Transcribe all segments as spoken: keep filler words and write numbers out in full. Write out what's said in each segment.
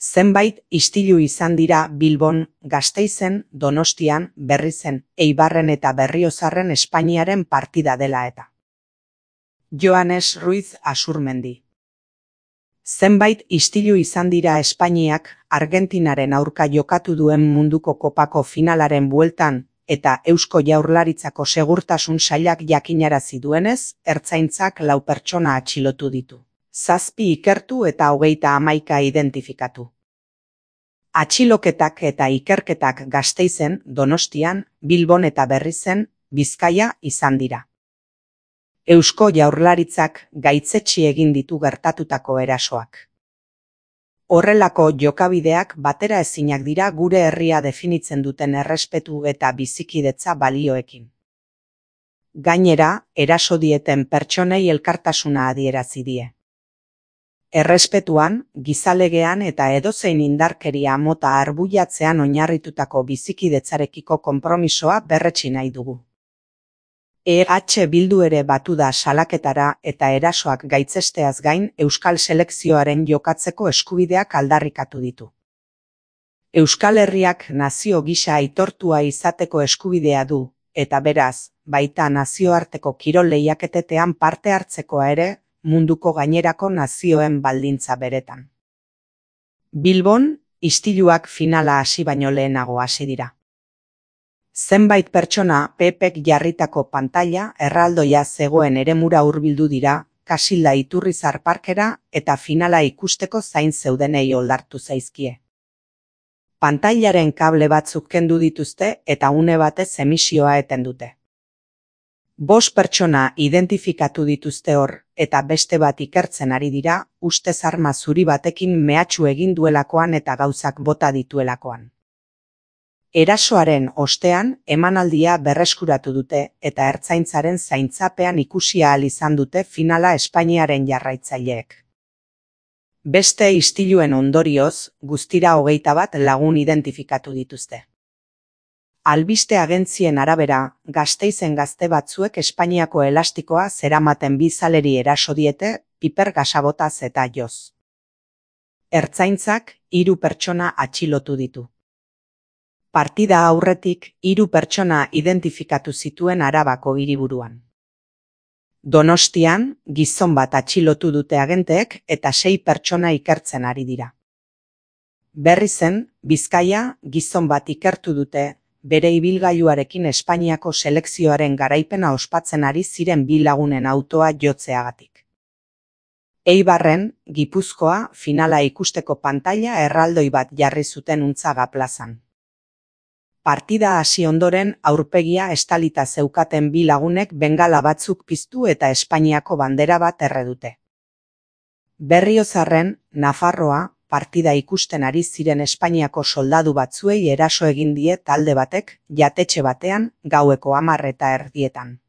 Zenbait istilu izan dira Bilbon, Gasteizen, Donostian, Berrizen, Eibarren eta Berriozarren Espainiaren partida dela eta. Joanes Ruiz Asurmendi. Zenbait istilu izan dira Espainiak Argentinaren aurka jokatu duen munduko kopako finalaren bueltan eta Eusko Jaurlaritzako segurtasun sailak jakinarazi duenez, ertzaintzak lau pertsona atxilotu ditu. Zazpi ikertu eta hogeita hamaika identifikatu. Atxiloketak eta ikerketak Gasteizen, Donostian, Bilbon eta Berrizen, Bizkaia izan dira. Eusko Jaurlaritzak gaitzetsi egin ditu gertatutako erasoak. Horrelako jokabideak batera ezinak dira gure herria definitzen duten errespetu eta bizikidetza balioekin. Gainera, eraso dieten pertsonei elkartasuna adierazi die. Errespetuan, gizalegean eta edozein indarkeria mota arbuiatzean oinarritutako bizikidetzarekiko konpromisoa berretsi nahi dugu. E H Bildu ere batu da salaketara eta erasoak gaitzesteaz gain Euskal Selekzioaren jokatzeko eskubideak aldarrikatu ditu. Euskal Herriak nazio gisa aitortua izateko eskubidea du, eta beraz, baita nazioarteko kirol lehiaketetan parte hartzekoa ere, munduko gainerako nazioen baldintza beretan. Bilbon, istiluak finala hasi baino lehenago hasi dira. Zenbait pertsona P Pek jarritako pantaila erraldoia zegoen eremura hurbildu dira, Kasilda Iturrizar parkera eta finala ikusteko zain zeudenei oldartu zaizkie. Pantailaren kable batzuk kendu dituzte eta une batez emisioa eten dute. Bost pertsona identifikatu dituzte hor, eta beste bat ikertzen ari dira, ustez arma zuri batekin mehatxu egin duelakoan eta gauzak bota dituelakoan. Erasoaren ostean, emanaldia berreskuratu dute eta ertzaintzaren zaintzapean ikusi ahal izan dute finala Espainiaren jarraitzaileek. Beste istiluen ondorioz, guztira hogeita bat lagun identifikatu dituzte. Albiste agentzien arabera, Gasteizen gazte batzuek Espainiako elastikoa zeramaten bi zaleri eraso diete, piper gasabotaz eta joz. Ertzaintzak hiru pertsona atxilotu ditu. Partida aurretik hiru pertsona identifikatu zituen Arabako hiriburuan. Donostian, gizon bat atxilotu dute agenteek eta sei pertsona ikertzen ari dira. Berrizen, Bizkaia, gizon bat ikertu dute, bere ibilgailuarekin Espainiako selekzioaren garaipena ospatzen ari ziren bi lagunen autoa jotzeagatik. Eibarren, Gipuzkoa, finala ikusteko pantaila erraldoi bat jarri zuten Untzaga plazan. Partida hasi ondoren aurpegia estalita zeukaten bi lagunek bengala batzuk piztu eta Espainiako bandera bat erre dute. Berriozarren, Nafarroa, partida ikusten ari ziren Espainiako soldadu batzuei eraso egin die talde batek, jatetxe batean, gaueko hamar eta erdietan.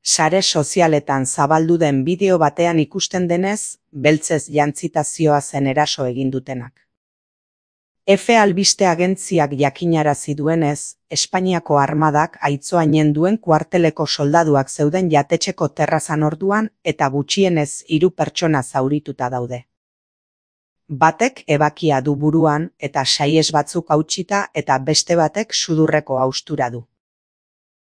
Sare sozialetan zabaldu den bideo batean ikusten denez, beltzez jantzita zihoazen eraso egin dutenak. F albiste agentziak jakinarazi duenez, Espainiako armadak Aitzoainen duen kuarteleko soldaduak zeuden jatetxeko terrazan orduan eta gutxienez hiru pertsona zaurituta daude. Batek ebakia du buruan eta saies batzuk hautsita eta beste batek sudurreko haustura du.